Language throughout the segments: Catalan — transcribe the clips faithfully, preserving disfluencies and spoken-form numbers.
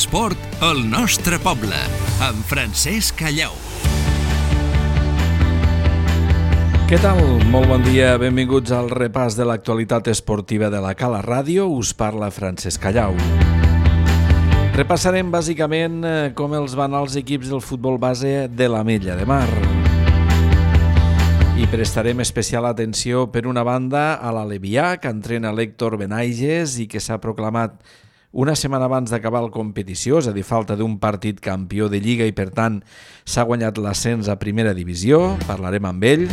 L'esport al nostre poble, amb Francesc Callau. Què tal? Molt bon dia, benvinguts al repàs de l'actualitat esportiva de la Cala Ràdio. Us parla Francesc Callau. Repassarem bàsicament com els van els equips del futbol base de l'Ametlla de Mar. I prestarem especial atenció, per una banda, a l'Alevià, que entrena l'Héctor Benaiges i que s'ha proclamat una setmana abans d'acabar la competició, és a dir, falta d'un partit campió de Lliga i, per tant, s'ha guanyat l'ascens a primera divisió. Parlarem amb ell.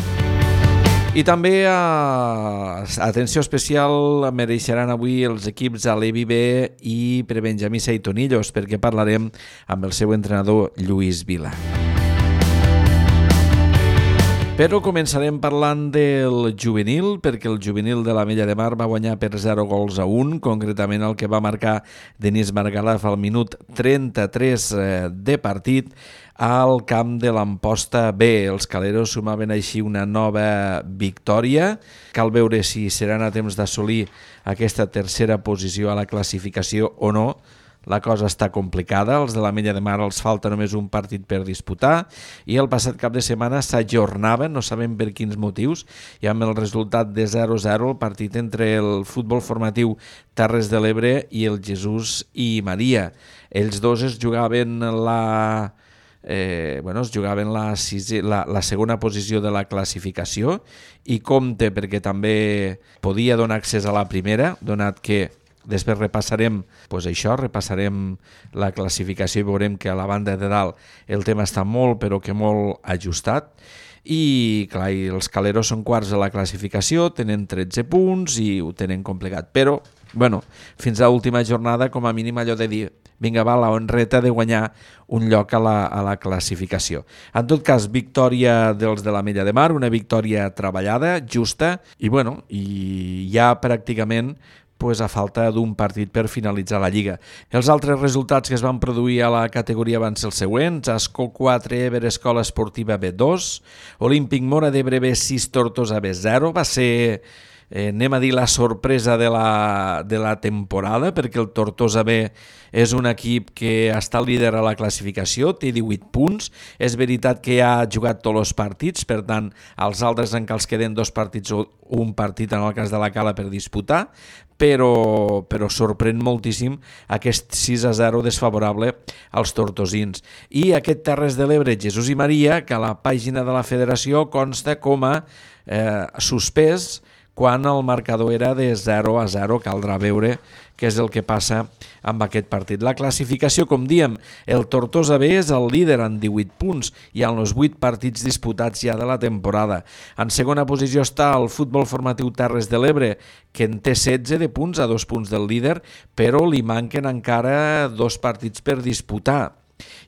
I també, a... atenció especial, mereixeran avui els equips Alevi B i Prebenjamí Seitonillos, perquè parlarem amb el seu entrenador Lluís Vila. Però començarem parlant del juvenil, perquè el juvenil de l'Ametlla de Mar va guanyar per zero gols a un, concretament el que va marcar Denis Margalef al minut trenta-tres de partit al camp de l'Amposta B. Els caleros sumaven així una nova victòria. Cal veure si seran a temps d'assolir aquesta tercera posició a la classificació o no. La cosa està complicada, els de l'Ametlla de Mar els falta només un partit per disputar i el passat cap de setmana s'ajornava, no sabem per quins motius, i amb el resultat de zero a zero el partit entre el futbol formatiu Terres de l'Ebre i el Jesús i Maria. Ells dos es jugaven la... Eh, bueno, es jugaven la, sisè, la, la segona posició de la classificació i compte perquè també podia donar accés a la primera, donat que després repassarem pues això, repassarem la classificació i veurem que a la banda de dalt el tema està molt, però que molt ajustat. I clar, i els caleros són quarts de la classificació, tenen tretze punts i ho tenen complicat. Però, bueno, fins a l'última jornada, com a mínim allò de dir vinga, va, la honreta de guanyar un lloc a la, a la classificació. En tot cas, victòria dels de l'Ametlla de Mar, una victòria treballada, justa, i bueno, i ja pràcticament pues, a falta d'un partit per finalitzar la Lliga. Els altres resultats que es van produir a la categoria van ser els següents: Ascó quatre, Ebre Escola Esportiva B dos, Olímpic Móra d'Ebre B sis, Tortosa B zero. Va ser, eh, anem a dir, la sorpresa de la, de la temporada, perquè el Tortosa B és un equip que està líder a la classificació, té divuit punts. És veritat que ha jugat tots els partits, per tant, als altres encara els queden dos partits o un partit en el cas de la Cala per disputar, però, però sorprèn moltíssim aquest sis a zero desfavorable als tortosins. I aquest Terres de l'Ebre, Jesús i Maria, que a la pàgina de la federació consta com a eh, suspès quan el marcador era de zero a zero. Caldrà veure què és el que passa amb aquest partit. La classificació, com diem, el Tortosa B és el líder amb divuit punts i en els vuit partits disputats ja de la temporada. En segona posició està el futbol formatiu Terres de l'Ebre, que en té setze de punts, a dos punts del líder, però li manquen encara dos partits per disputar.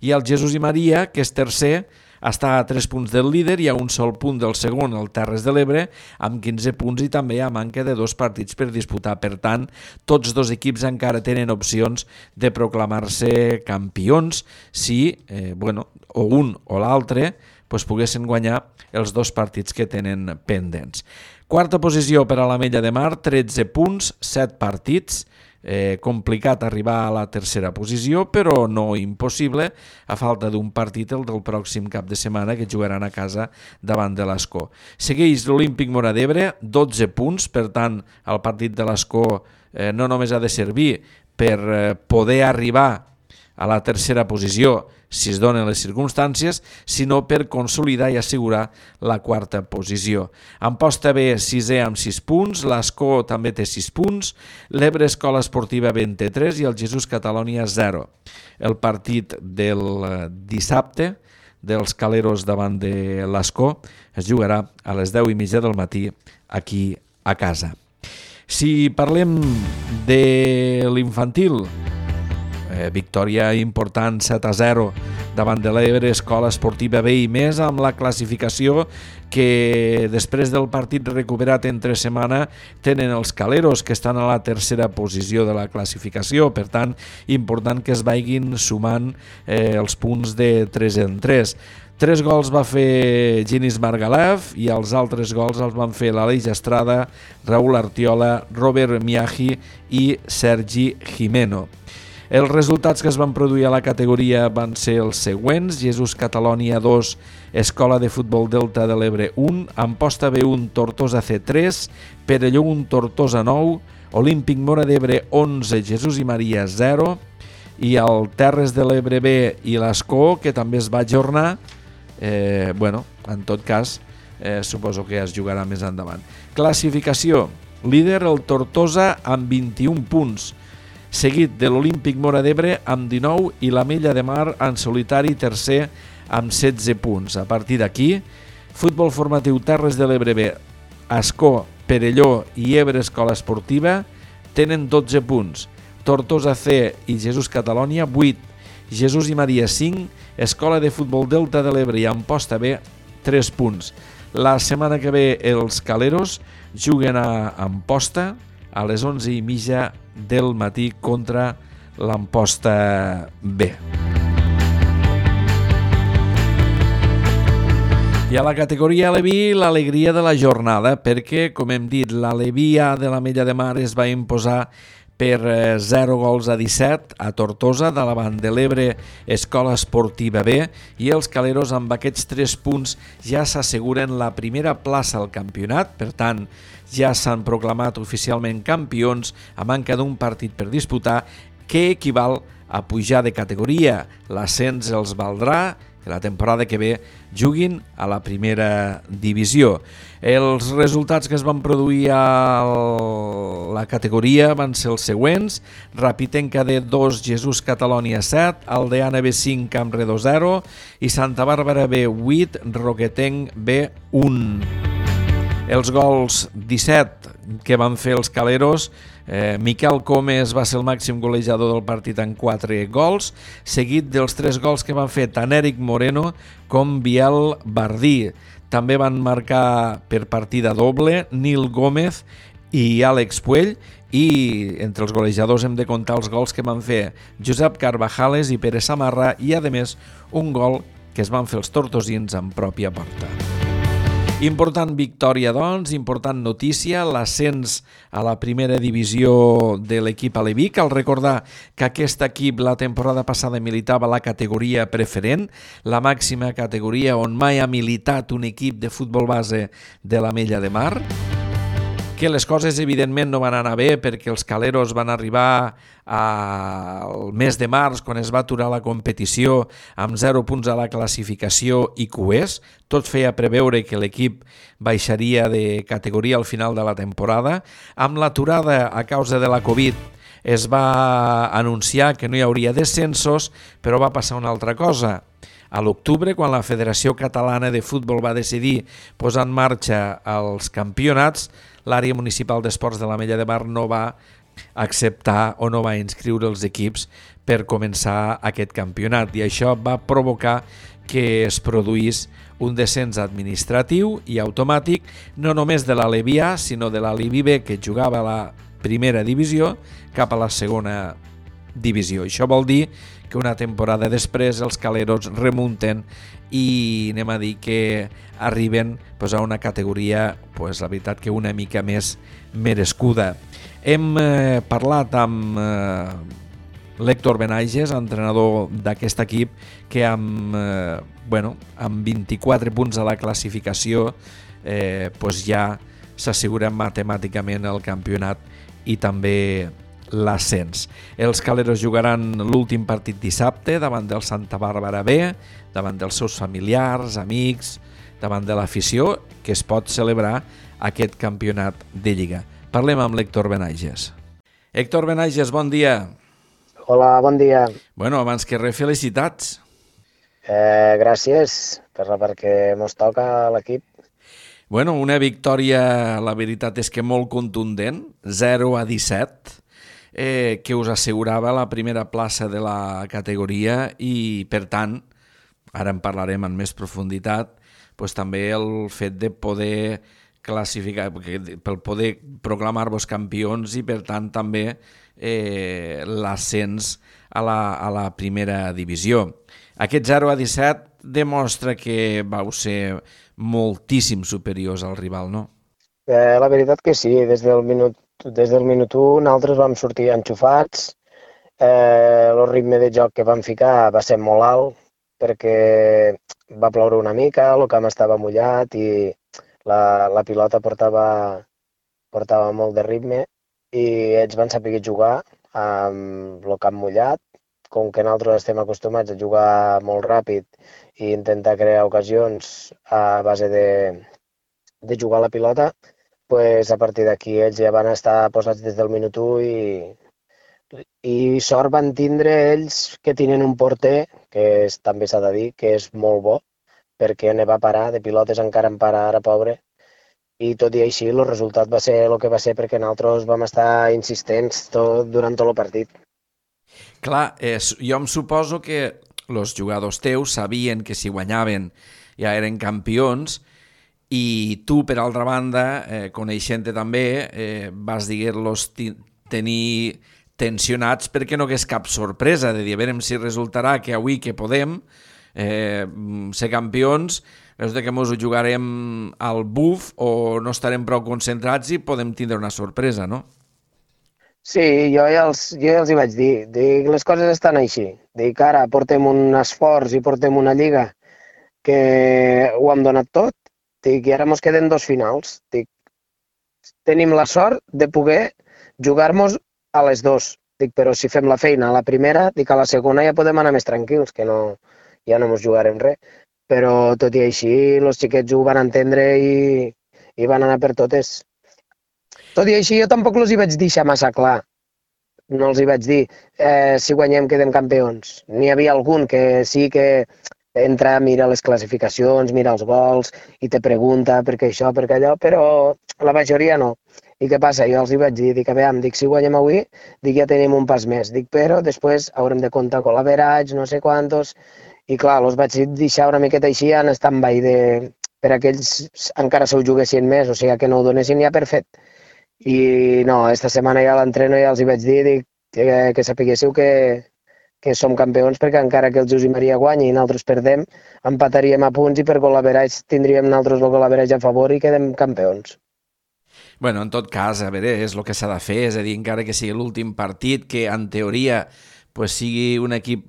I el Jesús i Maria, que és tercer, està a tres punts del líder i a un sol punt del segon, el Terres de l'Ebre, amb quinze punts i també a manca de dos partits per disputar. Per tant, tots dos equips encara tenen opcions de proclamar-se campions si, eh, bueno, o un o l'altre pues, poguessin guanyar els dos partits que tenen pendents. Quarta posició per a l'Ametlla de Mar, tretze punts, set partits. Eh, complicat arribar a la tercera posició, però no impossible, a falta d'un partit, el del pròxim cap de setmana, que jugaran a casa davant de l'Ascó. Segueix l'Olímpic Móra d'Ebre, dotze punts, per tant, el partit de l'Ascó eh, no només ha de servir per eh, poder arribar a la tercera posició, si es donen les circumstàncies, sinó per consolidar i assegurar la quarta posició. Amposta B, sisè amb sis punts, l'Ascó també té sis punts, l'Ebre Escola Esportiva vint-i-tres i el Jesús Catalònia zero. El partit del dissabte dels caleros davant de l'Ascó es jugarà a les deu i mitja del matí aquí a casa. Si parlem de l'infantil, Eh, victòria important, set a zero davant de l'Ebre Escola Esportiva B i més, amb la classificació que després del partit recuperat entre setmana tenen els caleros, que estan a la tercera posició de la classificació. Per tant, important que es vagin sumant eh, els punts de tres en tres. Tres gols va fer Denis Margalef i els altres gols els van fer l'Aleix Estrada, Raúl Artiola, Robert Miaji i Sergi Jimeno. Els resultats que es van produir a la categoria van ser els següents: Jesús Catalònia dos, Escola de Futbol Delta de l'Ebre un, Amposta B un, Tortosa C tres, Perelló un, Tortosa nou, Olímpic Móra d'Ebre onze, Jesús i Maria zero, i el Terres de l'Ebre B i l'Escó, que també es va ajornar, eh, bueno, en tot cas, eh, suposo que es jugarà més endavant. Classificació: líder el Tortosa amb vint-i-un punts, seguit de l'Olímpic Móra d'Ebre amb dinou i l'Ametlla de Mar en solitari tercer amb setze punts. A partir d'aquí, Futbol Formatiu Terres de l'Ebre B, Escó, Perelló i Ebre Escola Esportiva tenen dotze punts, Tortosa C i Jesús Catalònia vuit, Jesús i Maria cinc, Escola de Futbol Delta de l'Ebre i Amposta B tres punts. La setmana que ve els Caleros juguen a Amposta a les onze i mitja del matí contra l'Amposta B. I a la categoria Aleví, l'alegria de la jornada, perquè, com hem dit, l'Aleví A de l'Ametlla de Mar es va imposar per zero gols a disset a Tortosa, de davant de l'Ebre Escola Esportiva B, i els Caleros amb aquests tres punts ja s'asseguren la primera plaça al campionat. Per tant, ja s'han proclamat oficialment campions a manca d'un partit per disputar, que equival a pujar de categoria. L'ascens els valdrà que la temporada que ve juguin a la primera divisió. Els resultats que es van produir a la categoria van ser els següents: Rapitenca D dos, Jesús Catalònia set, Aldeana B cinc, Campredó zero i Santa Bàrbara B vuit, Roquetenc B un. Els gols disset que van fer els Caleros, eh, Miquel Comes va ser el màxim golejador del partit amb quatre gols, seguit dels tres gols que van fer tant Eric Moreno com Biel Bardí. També van marcar per partida doble Nil Gómez i Àlex Puell, i entre els golejadors hem de comptar els gols que van fer Josep Carvajales i Pere Samarra, i a més un gol que es van fer els tortosins en pròpia porta. Important victòria, doncs, important notícia, l'ascens a la primera divisió de l'equip aleví. Cal recordar que aquest equip la temporada passada militava a la categoria preferent, la màxima categoria on mai ha militat un equip de futbol base de l'Ametlla de Mar, que les coses evidentment no van anar bé perquè els Caleros van arribar al mes de març, quan es va aturar la competició, amb zero punts a la classificació i cuers. Tot feia preveure que l'equip baixaria de categoria al final de la temporada. Amb l'aturada a causa de la Covid es va anunciar que no hi hauria descensos, però va passar una altra cosa. A l'octubre, quan la Federació Catalana de Futbol va decidir posar en marxa els campionats, l'àrea municipal d'esports de l'Ametlla de Mar no va acceptar o no va inscriure els equips per començar aquest campionat, i això va provocar que es produís un descens administratiu i automàtic no només de l'Aleví A, sinó de l'Aleví B, que jugava a la primera divisió, cap a la segona divisió. Això vol dir que una temporada després els Caleros remunten i anem a dir que arriben pues, a una categoria, pues, la veritat que una mica més merescuda. Hem eh, parlat amb eh, l'Héctor Benaiges, entrenador d'aquest equip, que amb, eh, bueno, amb vint-i-quatre punts a la classificació eh, pues, ja s'assegura matemàticament el campionat i també l'ascens. Els Caleros jugaran l'últim partit dissabte davant del Santa Bàrbara B, davant dels seus familiars, amics, davant de l'afició, que es pot celebrar aquest campionat de Lliga. Parlem amb l'Héctor Benaiges. Héctor Benaiges, bon dia. Hola, bon dia. Bueno, abans que res, felicitats. Eh, gràcies per, perquè mos toca a l'equip. Bueno, una victòria, la veritat és que molt contundent, zero a disset, eh, que us assegurava la primera plaça de la categoria i, per tant, ara en parlarem en més profunditat, pues, també el fet de poder classificar, per poder proclamar-vos campions i, per tant, també eh, l'ascens a la, a la primera divisió. Aquest zero a disset demostra que vau ser moltíssim superiors al rival, no? Eh, la veritat que sí, des del minut, des del minut u nosaltres vam sortir enxufats, Eh, el ritme de joc que vam ficar va ser molt alt perquè va ploure una mica, el camp estava mullat i la, la pilota portava, portava molt de ritme i ells van saber jugar amb el camp mullat. Com que nosaltres estem acostumats a jugar molt ràpid i intentar crear ocasions a base de, de jugar a la pilota, pues a partir d'aquí ells ja van estar posats des del minut u i, i sort van tindre ells que tenen un porter, que és, també s'ha de dir, que és molt bo, perquè ne va parar, de pilotes encara en para ara, pobre, i tot i així el resultat va ser el que va ser perquè nosaltres vam estar insistents tot, durant tot el partit. Clar, eh, jo em suposo que els jugadors teus sabien que si guanyaven ja eren campions i tu, per altra banda, eh, coneixent-te també, eh, vas dir-los tenir tensionats perquè no hagués cap sorpresa de dir, a veure si resultarà que avui que podem eh, ser campions, resulta que ens ho jugarem al buf o no estarem prou concentrats i podem tindre una sorpresa, no? Sí, jo ja els, jo ja els hi vaig dir, dic, les coses estan així. Dic, ara portem un esforç i portem una lliga que ho hem donat tot, dic, i ara mos queden dos finals. Dic, tenim la sort de poder jugar-nos a les dos. Dic, però si fem la feina a la primera, dic, a la segona ja podem anar més tranquils, que no, ja no mos jugarem res. Però tot i així, els xiquets ho van entendre i, i van anar per totes. Tot i així, jo tampoc els hi vaig deixar massa clar. No els hi vaig dir, eh, si guanyem quedem campions. N'hi havia algun que sí que entra, mira les classificacions, mira els gols i te pregunta per què això, per què allò, però la majoria no. I què passa? Jo els hi vaig dir, dic, a veure, dic, si guanyem avui, dic, ja tenim un pas més. Dic, però després haurem de comptar con l'average, no sé quantos. I clar, els vaig deixar una miqueta així en stand-by de... per aquells encara se ho juguessin més, o sigui, que no ho donessin ja per fet. I no, esta setmana ja a l'entreno ja els hi vaig dir, dic, que, que sapiguéssiu que, que som campions perquè encara que el Josep Maria guanyi i nosaltres perdem, empataríem a punts i per gol-average tindríem nosaltres el gol-average a favor i quedem campions. Bueno, en tot cas, a veure, és el que s'ha de fer, és a dir, encara que sigui l'últim partit, que en teoria pues, sigui un equip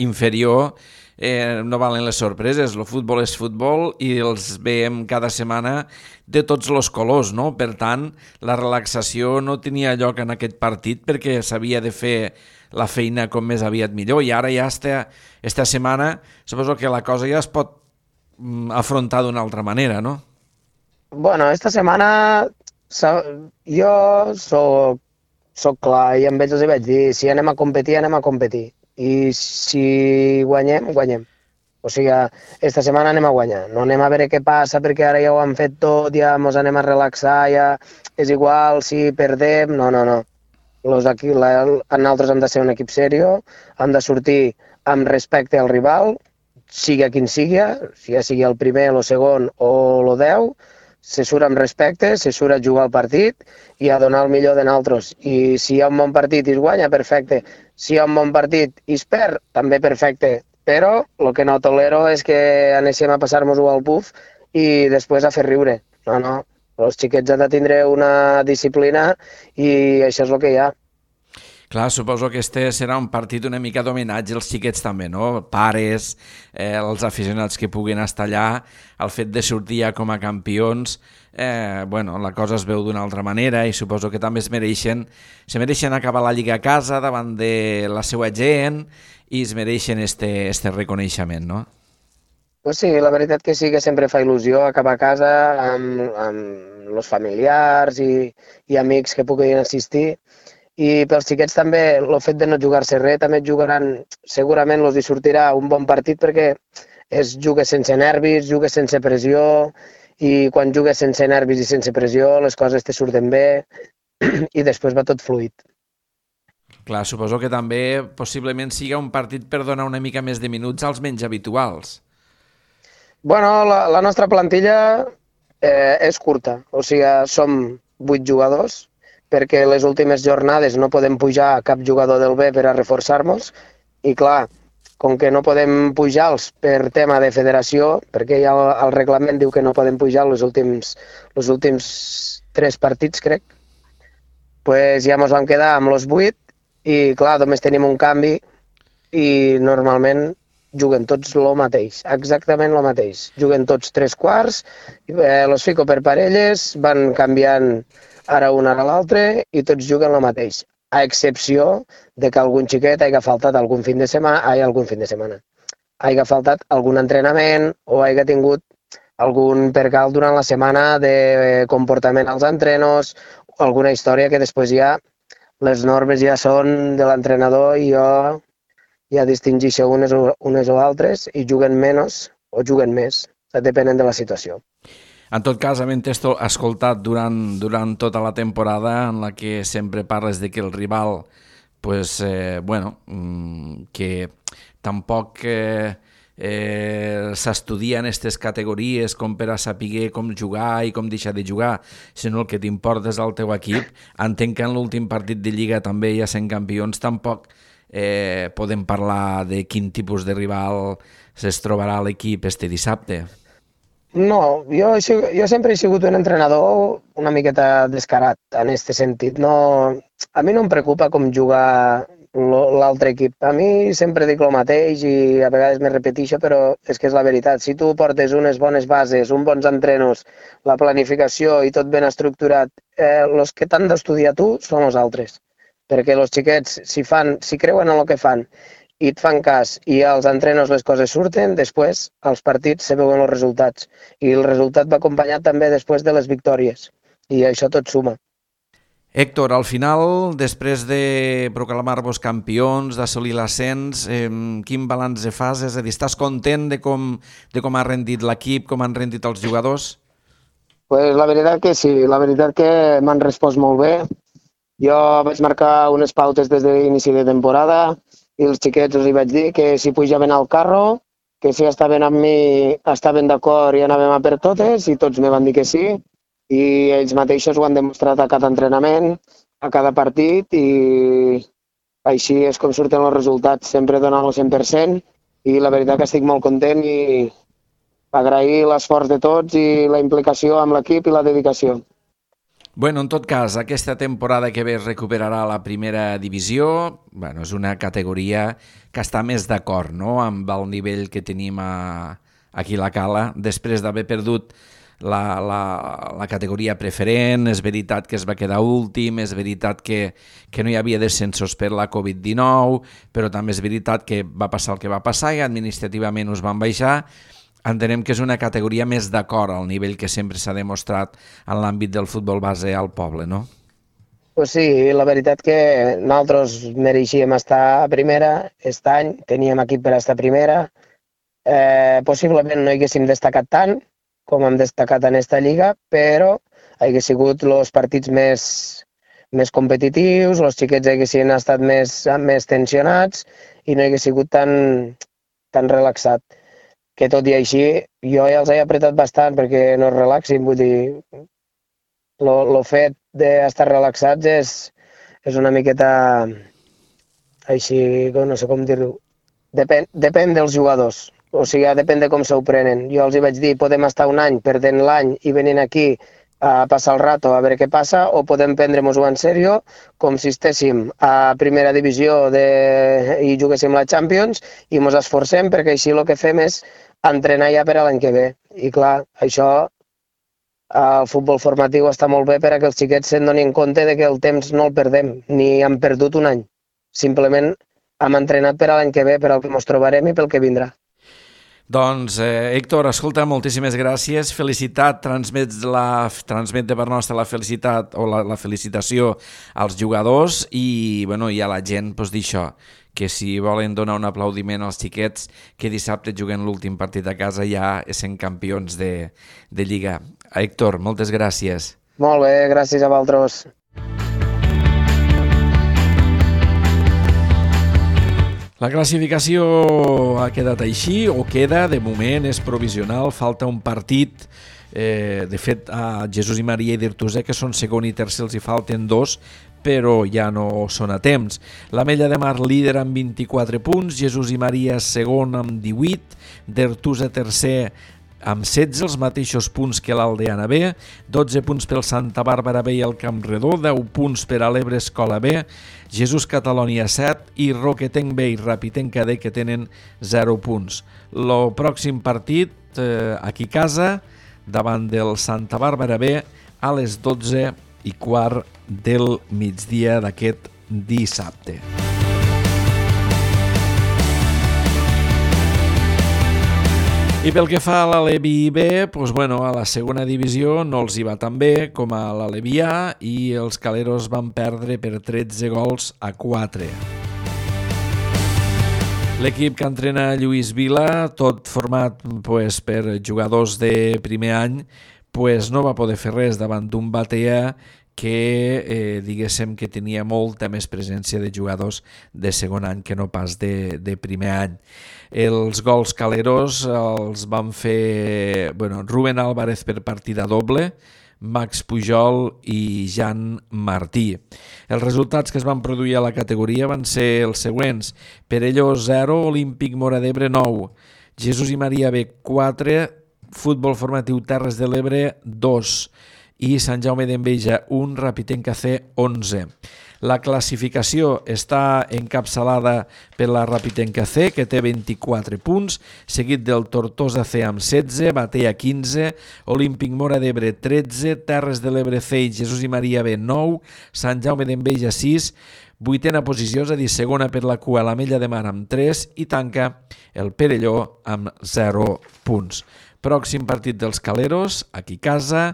inferior, eh, no valen les sorpreses, el futbol és futbol i els veiem cada setmana de tots els colors, no? Per tant, la relaxació no tenia lloc en aquest partit perquè s'havia de fer la feina com més aviat millor i ara ja esta, esta setmana suposo que la cosa ja es pot afrontar d'una altra manera, no? Bueno, esta setmana jo soc, soc clar i amb ells els hi vaig dir, si anem a competir, anem a competir. I si guanyem, guanyem. O sigui, esta setmana anem a guanyar. No anem a veure què passa perquè ara ja ho han fet tot, ja ens anem a relaxar, ja és igual si perdem. No, no, no. Los aquí, la, nosaltres hem de ser un equip serio, hem de sortir amb respecte al rival, sigui quin sigui, si ja sigui el primer, el segon o el deu, se surt amb respecte, se surt a jugar al partit i a donar el millor de nosaltres. I si hi ha un bon partit i es guanya, perfecte. Si hi ha un bon partit i es perd, també perfecte. Però el que no tolero és que anéssim a passar-nos-ho al buf i després a fer riure. No, no. Els xiquets han de tindre una disciplina i això és el que hi ha. Clar, suposo que este serà un partit una mica d'homenatge als xiquets també, no? Pares, eh, els aficionats que puguin estar allà, el fet de sortir ja com a campions, eh, bueno, la cosa es veu d'una altra manera i suposo que també es mereixen, se mereixen acabar la Lliga a casa davant de la seva gent i es mereixen este, este reconeixement, no? Pues sí, la veritat que sí que sempre fa il·lusió acabar a casa amb, amb els familiars i, i amics que puguin assistir. I pels xiquets també, el fet de no jugar-se res, també jugaran, segurament els hi sortirà un bon partit perquè es juga sense nervis, juga sense pressió i quan jugues sense nervis i sense pressió les coses te surten bé i després va tot fluid. Clar, suposo que també possiblement siga un partit per donar una mica més de minuts als menys habituals. Bueno, la, la nostra plantilla eh, és curta, o sigui, som vuit jugadors, perquè les últimes jornades no podem pujar cap jugador del B per a reforçar-nos i clar, com que no podem pujar-los per tema de federació, perquè ja el, el reglament diu que no podem pujar els últims, els últims tres partits, crec, pues ja ens vam quedar amb els vuit i clar, només tenim un canvi i normalment juguen tots el mateix, exactament el mateix. Juguen tots tres quarts, eh, los fico per parelles, van canviant ara un ara l'altre i tots juguen el mateix, a excepció de que algun xiquet hagi faltat algun fin de setmana, ai, algun fin de setmana, hagi faltat algun entrenament o hagi tingut algun percal durant la setmana de comportament als entrenos, alguna història que després ja les normes ja són de l'entrenador i jo ja distingeixo unes o, unes o altres i juguen menys o juguen més, depenent de la situació. En tot cas, havent escoltat durant, durant tota la temporada en la que sempre parles de que el rival pues, eh, bueno, que tampoc eh, eh, s'estudia en aquestes categories com per a saber com jugar i com deixar de jugar, sinó el que t'importa és el teu equip. Entenc que en l'últim partit de Lliga també, ja sent campions, tampoc eh, podem parlar de quin tipus de rival es trobarà l'equip este dissabte. No, jo, jo sempre he sigut un entrenador una miqueta descarat en aquest sentit. No, a mi no em preocupa com jugar l'altre equip. A mi sempre dic el mateix i a vegades me repeteixo, però és que és la veritat. Si tu portes unes bones bases, uns bons entrenos, la planificació i tot ben estructurat, eh, els que t'han d'estudiar tu són els altres. Perquè els xiquets, si, fan, si creuen en el que fan i et fan cas i als entrenos les coses surten, després als partits se veuen els resultats. I el resultat va acompanyat també després de les victòries. I això tot suma. Héctor, al final, després de proclamar-vos campions, d'assolir l'ascens, eh, quin balanç de fas? És a dir, estàs content de com, de com ha rendit l'equip, com han rendit els jugadors? Pues la veritat que sí, la veritat que m'han respost molt bé. Jo vaig marcar unes pautes des de l'inici de temporada i els xiquets els hi vaig dir que si pujaven al carro, que si estaven amb mi estaven d'acord i anàvem a per totes, i tots me van dir que sí. I ells mateixos ho han demostrat a cada entrenament, a cada partit, i així és com surten els resultats, sempre donant el cent per cent, i la veritat que estic molt content i agrair l'esforç de tots i la implicació amb l'equip i la dedicació. Bueno, en tot cas, aquesta temporada que ve es recuperarà la primera divisió. Bueno, és una categoria que està més d'acord, no?, amb el nivell que tenim a, aquí a la Cala, després d'haver perdut La, la, la categoria preferent. És veritat que es va quedar últim, és veritat que, que no hi havia descensos per la covid dinou, però també és veritat que va passar el que va passar i administrativament us van baixar. Entenem que és una categoria més d'acord al nivell que sempre s'ha demostrat en l'àmbit del futbol base al poble, no? Pues sí, la veritat que nosaltres mereixíem estar a primera aquest any, teníem equip per estar a primera, eh, possiblement no haguéssim destacat tant com hem destacat en aquesta lliga, però hagués sigut els partits més, més competitius, els xiquets haguessin estat més, més tensionats i no hagués sigut tan, tan relaxat. Que tot i així, jo ja els he apretat bastant perquè no es relaxin, vull dir, el fet d'estar relaxats és, és una miqueta així, no sé com dir-ho, depèn, depèn dels jugadors. O sigui, depèn de com s'ho prenen. Jo els hi vaig dir, podem estar un any perdent l'any i venint aquí a passar el rato a veure què passa, o podem prendre-nos-ho en sèrio, com si estéssim a primera divisió de... i juguéssim la Champions i ens esforcem perquè així el que fem és entrenar ja per a l'any que ve. I clar, això, el futbol formatiu està molt bé per a que els xiquets se'n donin compte de que el temps no el perdem, ni hem perdut un any. Simplement hem entrenat per a l'any que ve, per al que ens trobarem i pel que vindrà. Doncs, eh, Héctor, escolta, moltíssimes gràcies, felicitat, transmet, la, transmet de part nostra la felicitat o la, la felicitació als jugadors i, bueno, i a la gent, doncs, dir això, que si volen donar un aplaudiment als xiquets que dissabte juguen l'últim partit a casa ja sent campions de, de Lliga. Héctor, moltes gràcies. Molt bé, gràcies a vosaltres. La classificació ha quedat així, o queda, de moment és provisional, falta un partit. Eh, de fet, a Jesús i Maria i d'Artús, que són segon i tercer, els hi falten dos, però ja no són a temps. L'Ametlla de Mar líder amb vint-i-quatre punts, Jesús i Maria segon amb divuit, d'Artús a tercer amb setze, els mateixos punts que l'Aldeana B, dotze punts pel Santa Bàrbara B i el Campredó, deu punts per a l'Ebre Escola B, Jesús Catalònia set i Roquetenc B i Rapitenc D que tenen zero punts. El pròxim partit, eh, aquí a casa, davant del Santa Bàrbara B, a les dotze i quart del migdia d'aquest dissabte. I pel que fa a l'Alevi B, doncs, bueno, a la segona divisió no els hi va tan bé com a l'Alevi A i els caleros van perdre per tretze gols a quatre. L'equip que entrena Lluís Vila, tot format pues, per jugadors de primer any, pues, no va poder fer res davant d'un Batea que eh, diguéssim que tenia molta més presència de jugadors de segon any que no pas de, de primer any. Els gols caleros els van fer bueno, Rubén Álvarez per partida doble, Max Pujol i Jan Martí. Els resultats que es van produir a la categoria van ser els següents: Perelló zero, Olímpic Móra d'Ebre nou, Jesús i Maria B quatre, Futbol Formatiu Terres de l'Ebre dos i Sant Jaume d'Enveja un, Rapitenc C onze. La classificació està encapçalada per la Rapitenc C, que té vint-i-quatre punts, seguit del Tortosa C amb setze, Batea quinze, Olímpic Móra d'Ebre tretze, Terres de l'Ebre C i Jesús i Maria B nou, Sant Jaume d'Enveja sis, vuitena posició, és a dir, segona per la cua, l'Ametlla de Mar amb tres i tanca el Perelló amb zero punts. Pròxim partit dels caleros, aquí a casa,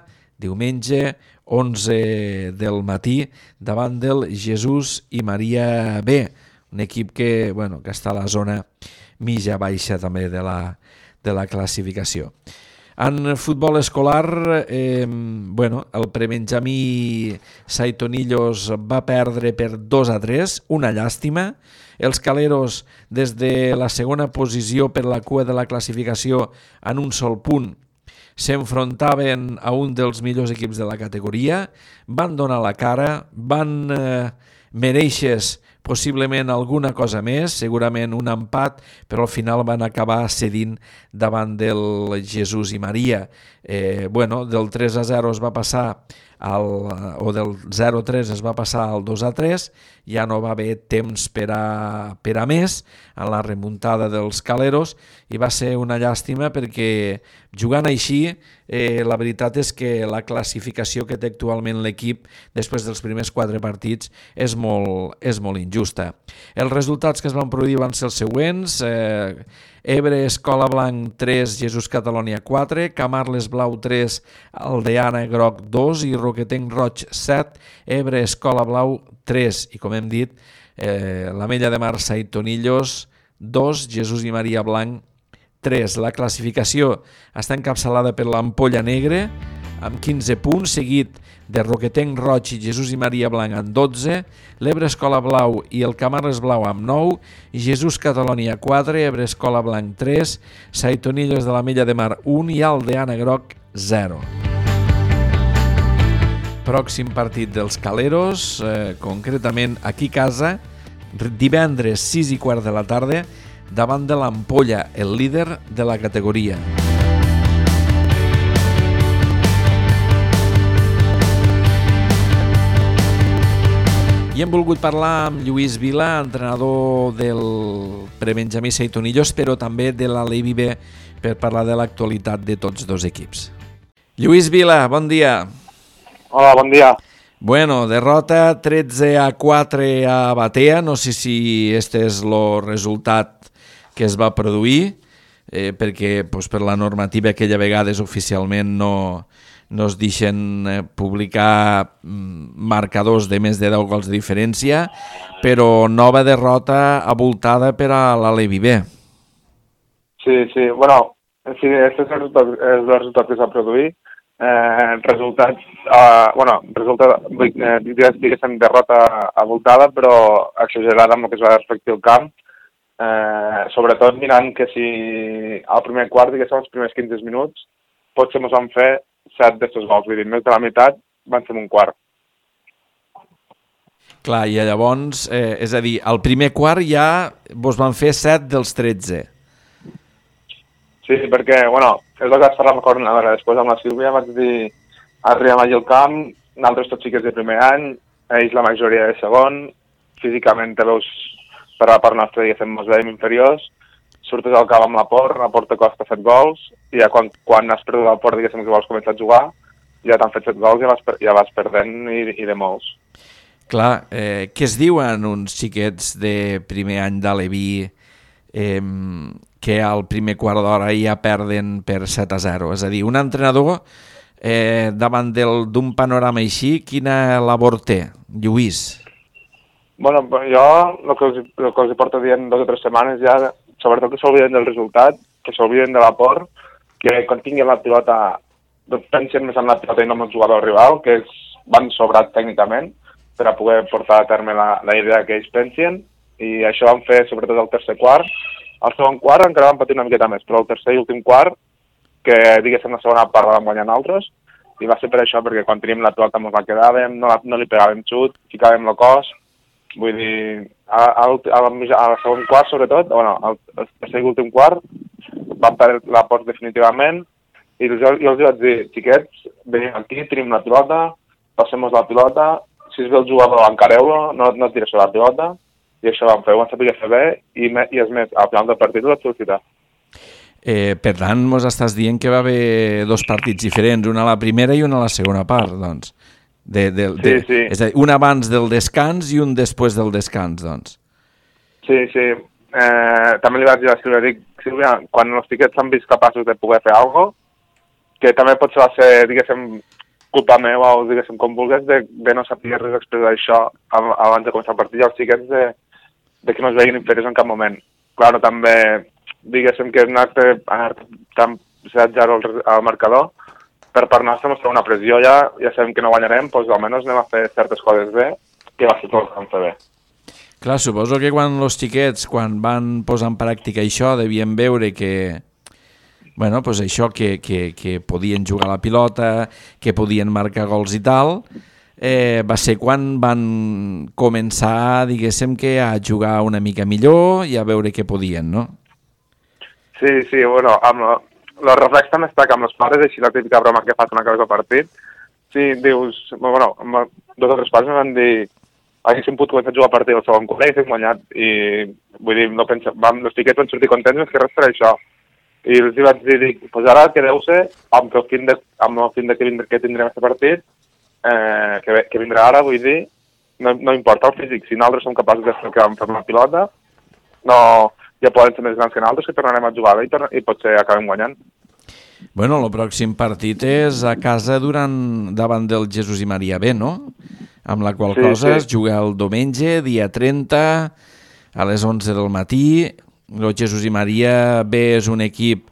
diumenge, onze del matí, davant del Jesús i Maria B, un equip que, bueno, que està a la zona mitja baixa també de la, de la classificació. En futbol escolar, eh, bueno, el Prebenjamí Saitonillos va perdre per dos a tres, una llàstima. Els caleros, des de la segona posició per la cua de la classificació en un sol punt, s'enfrontaven a un dels millors equips de la categoria, van donar la cara, van eh, mereixer possiblement alguna cosa més, segurament un empat, però al final van acabar cedint davant del Jesús i Maria. Eh, bueno, del tres a zero es va passar al, o del zero a tres es va passar al dos a tres, ja no va haver temps per a, per a més en la remuntada dels caleros i va ser una llàstima perquè jugant així eh, la veritat és que la classificació que té actualment l'equip després dels primers quatre partits és molt, és molt injusta. Els resultats que es van produir van ser els següents: eh, Ebre Escola Blanc tres, Jesús Catalònia quatre, Camarles Blau tres, Aldeana Groc dos i Roquetenc Roig set, Ebre Escola Blau tres. I com hem dit, eh, l'Ametlla de Mar Saitonillos dos, Jesús i Maria Blanc tres. La classificació està encapçalada per l'Ampolla Negre amb quinze punts, seguit de Roquetenc Roig i Jesús i Maria Blanc amb dotze, l'Ebre Escola Blau i el Camarles Blau amb nou, Jesús Catalònia quatre, Ebre Escola Blanc tres, Saitonillos de l'Ametlla de Mar un i Aldeana Groc zero. Pròxim partit dels caleros, eh, concretament aquí a casa, divendres sis i quart de la tarda, davant de l'Ampolla, el líder de la categoria. I hem volgut parlar amb Lluís Vila, entrenador del Prebenjamí Saitonillos, però també de l'Alevi B, per parlar de l'actualitat de tots dos equips. Lluís Vila, bon dia. Hola, bon dia. Bueno, derrota tretze a quatre a Batea, no sé si este és el resultat que es va produir, eh, perquè pues, per la normativa aquella vegades oficialment no, no es deixen eh, publicar marcadors de més de deu gols de diferència, però nova derrota abultada per a l'Alevi B. Sí, sí, bueno, sí, aquest és el resultat, és el resultat que s'ha produït. Eh, resultats, eh, bueno, resultat, eh, diguéssim, derrota abultada, però exagerada amb el que es va respectar al camp. Eh, sobretot mirant que si al primer quart, diguéssim, els primers quinze minuts, potser ens van fer set d'estos gols, vull dir, més de la meitat van ser un quart. Clar, i llavors, eh, és a dir, al primer quart ja vos van fer set dels tretze. Sí, Sí, perquè, bueno, és el que vaig parlar amb coordinadora. Després amb la Sílvia vaig dir, arribem allà al camp, nosaltres tots xiquets de primer any, ells la majoria de segon, físicament te veus per la part nostra, diguéssim, mos veiem inferiors, surtes al camp amb la Por, la Por te costa set gols, i ja quan, quan has perdut el Por, diguéssim, que vols començar a jugar, ja t'han fet set gols i ja vas, ja vas perdent i, i de molts. Clar, eh, què es diuen uns xiquets de primer any d'Aleví eh, que al primer quart d'hora ja perden per set a zero? És a dir, un entrenador eh, davant d'un panorama així, quina labor té, Lluís? Bueno, jo el que, els, el que els porto dient dues o tres setmanes ja, sobretot que s'olviden del resultat, que s'olviden de l'aport, que quan tinguin la pilota pensen més en la pilota i no en el jugador rival, que ells van sobrat tècnicament per a poder portar a terme la, la idea que ells pensen, i això vam fer sobretot el tercer quart. El segon quart encara vam patir una miqueta més, però el tercer i últim quart, que diguéssim la segona part la vam guanyar nosaltres, i va ser per això, perquè quan teníem la pilota ens la quedàvem, no, la, no li pegàvem xut, ficàvem el cos, vull dir, al segon quart sobretot, bueno, al tercer i últim quart, vam perdre la post definitivament, i jo, jo els vaig dir, xiquets, venim aquí, tenim la pilota, passem-nos la pilota, si es ve el jugador encareu-lo, no, no tires la pilota, i això vam fer, ho vam saber fer bé, i, me, i és més, al final del partit ho vaig felicitar. Eh, per tant, mos estàs dient que va haver dos partits diferents, una a la primera i una a la segona part, doncs. De, de, de, sí, sí. És a dir, un abans del descans i un després del descans, doncs. Sí, sí. Eh, també li vaig dir a Sílvia, dic, Sílvia, quan els xiquets s'han vist capaços de poder fer alguna cosa, que també pot ser, diguéssim, culpa meva o diguéssim com vulguis, de, de no saber res expressar això abans de començar el partit, i els xiquets de, de que no es veien inferiors en cap moment. Claro, també, diguéssim que anar-te tan set zero al, al marcador, per part nostra mos fa una pressió ja, ja sabem que no guanyarem, doncs almenys anem a fer certes coses bé, que va ser tot el que vam fer bé. Clar, suposo que quan els xiquets, quan van posar en pràctica això, devien veure que, bueno, pues això, que, que, que podien jugar a la pilota, que podien marcar gols i tal, eh, va ser quan van començar, diguéssim, que a jugar una mica millor i a veure què podien, no? Sí, sí, bueno, amb el reflex també està que amb els pares, així la típica broma que fas una cosa al partit, sí, dius, bueno, amb dos o tres pares em van dir, haguéssim pogut començar a jugar a partir del segon quart i haguéssim guanyat, i vull dir, no pensa, vam, els xiquets van sortir contents més que res per això. I els vaig dir, dic, pues ara que deu ser, amb el fin de, amb el fin de que, vindré, que tindrem aquest partit, eh, que, que vindrà ara, vull dir, no, no importa el físic, si nosaltres som capaços de fer que vam fer una pilota, no, ja poden ser més grans que nosaltres, que tornarem a jugar bé i, torna, i potser acabem guanyant. Bueno, el pròxim partit és a casa durant, davant del Jesús i Maria B, no? Amb la qual sí, cosa sí. es juga el diumenge, dia trenta, a les onze del matí. El Jesús i Maria B és un equip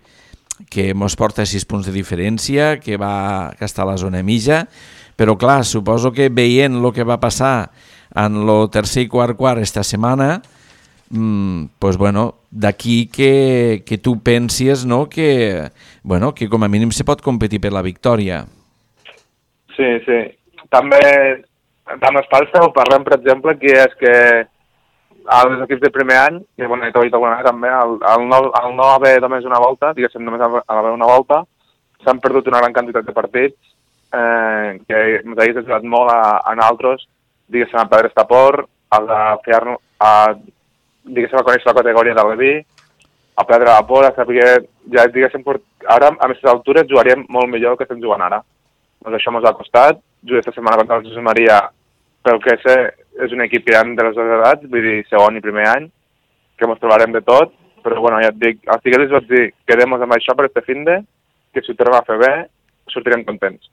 que mos porta sis punts de diferència, que va que està a la zona mitja, però clar, suposo que veient el que va passar en el tercer i quart quart esta setmana, mmm, pues bueno, d'aquí que, que tu pensies, no?, que, bueno, que com a mínim se pot competir per la victòria. Sí, sí. També, amb els pares ho parlem, per exemple, que és que als equips de primer any, i bueno, he trobat alguna vegada també, al, al, no, al no haver només una volta, diguéssim, només haver una volta, s'han perdut una gran quantitat de partits, eh, que ens hagués ajudat molt a, a nosaltres, diguéssim, a perdre esta por, a, fer, a, diguéssim, a conèixer la categoria de l'E V I, a perdre la por, a saber, ja diguéssim, ara a aquestes altures jugaríem molt millor que estem jugant ara. Doncs això ens ha costat, jugar aquesta setmana contra el Jesús Maria, pel que sé, és un equip que hi ha de les dues edats, vull dir, segon i primer any, que ens trobarem de tot, però bueno, ja et dic, als xiquets vaig dir, quedem-nos amb això per este finde, que si ho tornem a fer bé, sortirem contents.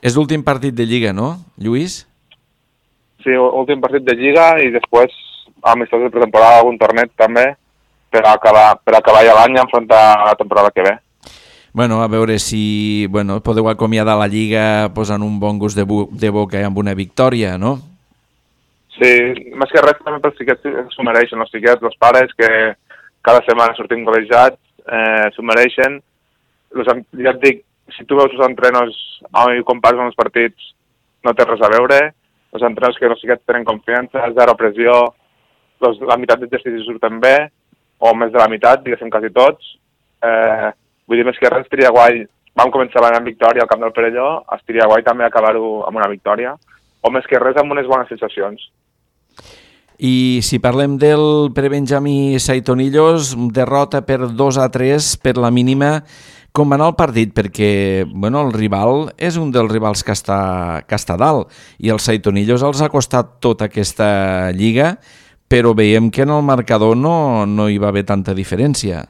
És l'últim partit de Lliga, no, Lluís? Sí, últim partit de Lliga i després, amistosos de pretemporada, algun torneig també, per acabar, per acabar ja l'any i enfrontar la temporada que ve. Bueno, a veure si bueno, podeu acomiadar la Lliga posant un bon gust de, de boca amb una victòria, no? Sí, més que res també pels xiquets s'ho mereixen, els xiquets, els pares, que cada setmana sortim col·legiats, eh, s'ho mereixen. Los, ja et dic, si tu veus els entrenos i compares amb els partits, no té res a veure. Els entrenos que els xiquets tenen confiança, zero pressió, los, la meitat d'exercicis surten bé, o més de la meitat, diguéssim quasi tots, Eh, vull dir, més que res, estaria guai. Vam començar l'any amb victòria al Camp del Perelló, estaria guai també acabar-ho amb una victòria, o més que res amb unes bones sensacions. I si parlem del prebenjamí Saitonillos, derrota per dos a tres per la mínima. Com va anar el partit? Perquè bueno, el rival és un dels rivals que està, que està dalt i els Saitonillos els ha costat tota aquesta lliga, però veiem que en el marcador no, no hi va haver tanta diferència.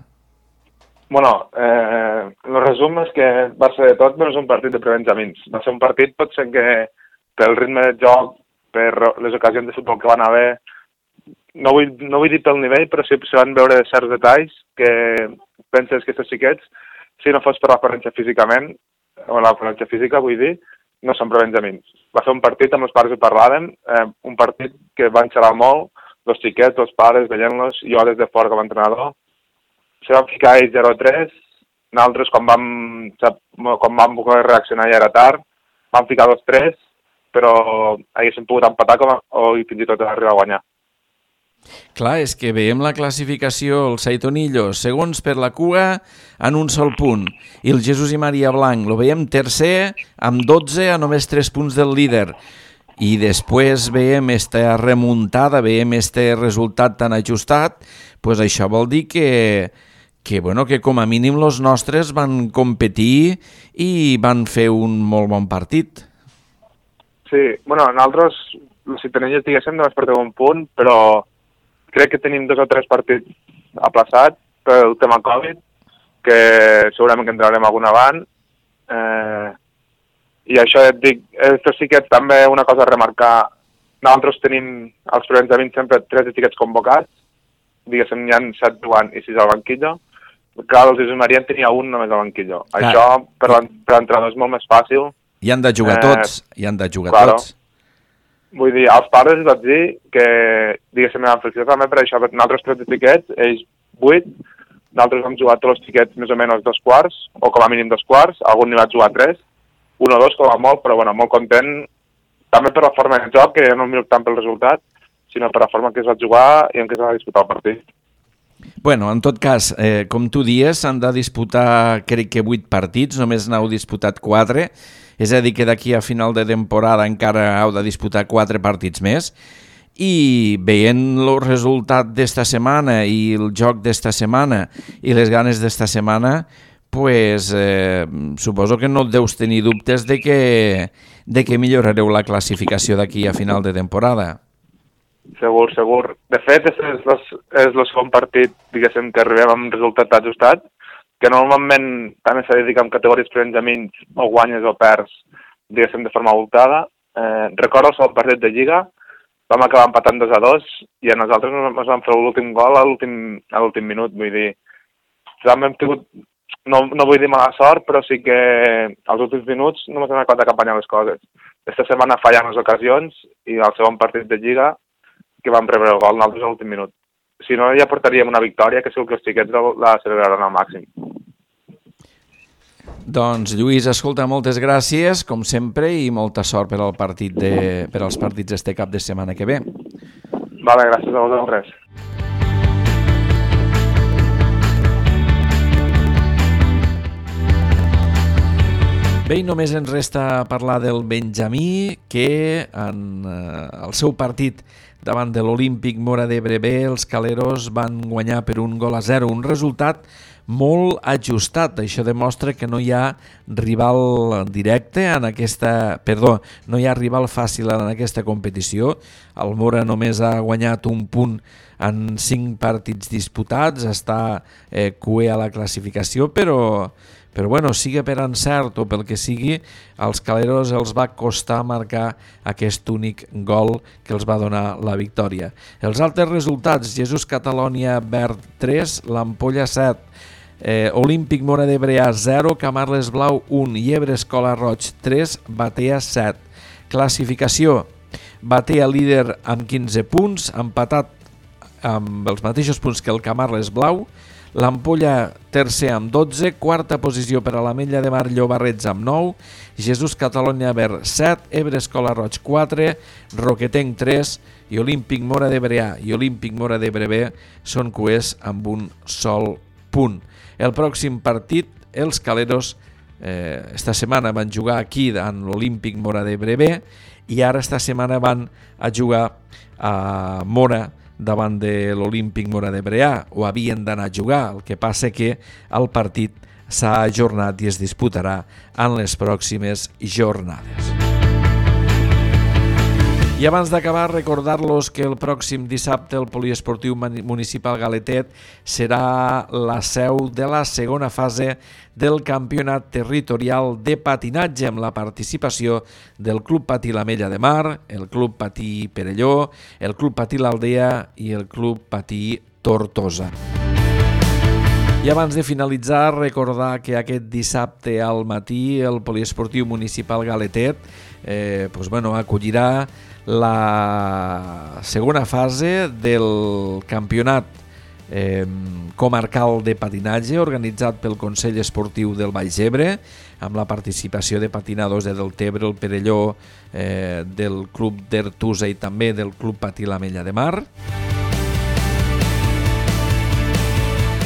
Bueno, eh, el resum és que va ser tot menys un partit de prebenjamins. Va ser un partit potser que pel ritme de joc, per les ocasions de futbol que van haver, no vull, no vull dir pel nivell, però sí se van veure certs detalls que penses que aquests xiquets, si no fos per l'aparència físicament, o l'aparència física, vull dir, no són prebenjamins. Va ser un partit, amb els pares hi parlàvem, eh, un partit que van xerrar molt, els xiquets, els pares, veient-los, jo des de fora com a entrenador. Se van ficar ells zero a tres, nosaltres, quan vam, quan vam poder reaccionar ja era tard, vam ficar dos tres, però haguéssim pogut empatar com a, o fins i tot arribar a guanyar. Clar, és que veiem la classificació, el Saitonillos, segons per la cua, en un sol punt. I el Jesús i Maria Blanc, lo veiem tercer, amb dotze, a només tres punts del líder. I després veiem esta remuntada, veiem este resultat tan ajustat, pues això vol dir que, que, bueno, que com a mínim els nostres van competir i van fer un molt bon partit. Sí, bueno, nosaltres, els Saitonillos, diguéssim, només portem un punt, però crec que tenim dos o tres partits aplaçats pel tema Covid, que segurament que entrarem algun avant. Eh, I això et dic, estos xiquets també una cosa a remarcar. Nosaltres tenim als prebenjamins sempre tres xiquets convocats, diguéssim, hi ha set jugant i sis al banquillo. Clar, el Jesús Maria en tenia un només al banquillo. Ah. Això per l'entrenador és molt més fàcil. Hi han de jugar eh, tots, hi han de jugar claro. tots. Vull dir, als pares els vaig dir que, diguéssim, la reflexió també per això, nosaltres tres xiquets, ells vuit, nosaltres vam jugar tots els xiquets més o menys dos quarts, o com a mínim dos quarts, algun n'hi va jugar tres, un o dos com a molt, però bueno, molt content, també per la forma de joc, que no em miro tant pel resultat, sinó per la forma que es va jugar i en què es va disputar el partit. Bueno, en tot cas, eh, com tu dies, s'han de disputar, crec que vuit partits, només n'heu disputat quatre, és a dir que d'aquí a final de temporada encara heu de disputar quatre partits més, i veient el resultat d'esta setmana i el joc d'esta setmana i les ganes d'esta setmana, pues, eh, suposo que no deus tenir dubtes de que, de que millorareu la classificació d'aquí a final de temporada. Segur, segur. De fet, és, és, és el segon partit, diguéssim, que arribem amb resultat ajustat, que normalment també s'ha de dir que en categories prebenjamins o guanyes o perds, diguéssim, de forma voltada. Eh, recordo el segon partit de Lliga, vam acabar empatant dos a dos i a nosaltres ens vam fer l'últim gol a l'últim minut, vull dir, també hem tingut, no, no vull dir mala sort, però sí que als últims minuts no m'han acabat d'acompanyar les coses. Aquesta setmana fallant les ocasions i al segon partit de Lliga que vam rebre el gol nosaltres a l'últim minut. Si no, ja portaríem una victòria, que segur que els xiquets la celebraran al màxim. Doncs, Lluís, escolta, moltes gràcies, com sempre, i molta sort per al partit de, per als partits este cap de setmana que ve. Vale, gràcies a vosaltres. Bé, i només ens resta parlar del Benjamí, que en eh, el seu partit davant de l'Olímpic Móra d'Ebre B, els caleros van guanyar per un gol a zero, un resultat molt ajustat. Això demostra que no hi ha rival directe en aquesta... Perdó, no hi ha rival fàcil en aquesta competició. El Móra només ha guanyat un punt en cinc partits disputats, està eh, cué a la classificació, però... Però bueno, sigui per encert o pel que sigui, als caleros els va costar marcar aquest únic gol que els va donar la victòria. Els altres resultats: Jesús Catalònia Verd tres, l'Ampolla set, eh, Olímpic Móra d'Ebre A zero, Camarles Blau un, Llebre Escola Roig tres, Batea set. Classificació: Batea líder amb quinze punts, empatat amb els mateixos punts que el Camarles Blau. L'Ampolla tercer amb dotze, quarta posició per a l'Ametlla de Mar Llobarrets amb nou, Jesús Catalònia Verd set, Ebre Escola Roig quatre, Roquetenc tres i Olímpic Móra d'Ebre A i Olímpic Móra d'Ebre B són cuers amb un sol punt. El pròxim partit, els Caleros, eh, esta setmana van jugar aquí en l'Olímpic Móra d'Ebre B i ara esta setmana van a jugar a Móra davant de l'Olímpic Móra d'Ebre A, o havien d'anar a jugar, el que passa que el partit s'ha ajornat i es disputarà en les pròximes jornades. I abans d'acabar, recordar-los que el pròxim dissabte el Poliesportiu Municipal Galetet serà la seu de la segona fase del campionat territorial de patinatge amb la participació del Club Patí l'Ametlla de Mar, el Club Patí Perelló, el Club Patí l'Aldea i el Club Patí Tortosa. I abans de finalitzar, recordar que aquest dissabte al matí el Poliesportiu Municipal Galetet eh, pues, bueno, acollirà la segona fase del campionat eh, comarcal de patinatge organitzat pel Consell Esportiu del Baix Ebre amb la participació de patinadors de Deltebre, el Perelló, eh, del Club d'Ertusa i també del Club Patí l'Ametlla de Mar.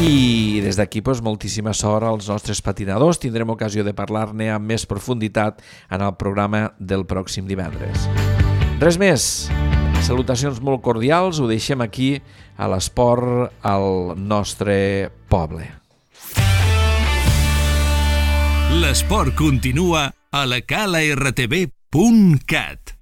I des d'aquí pues, moltíssima sort als nostres patinadors. Tindrem ocasió de parlar-ne amb més profunditat en el programa del pròxim divendres. Res més. Salutacions molt cordials. Ho deixem aquí a l'esport al nostre poble. L'esport continua a la cala r t v punt cat.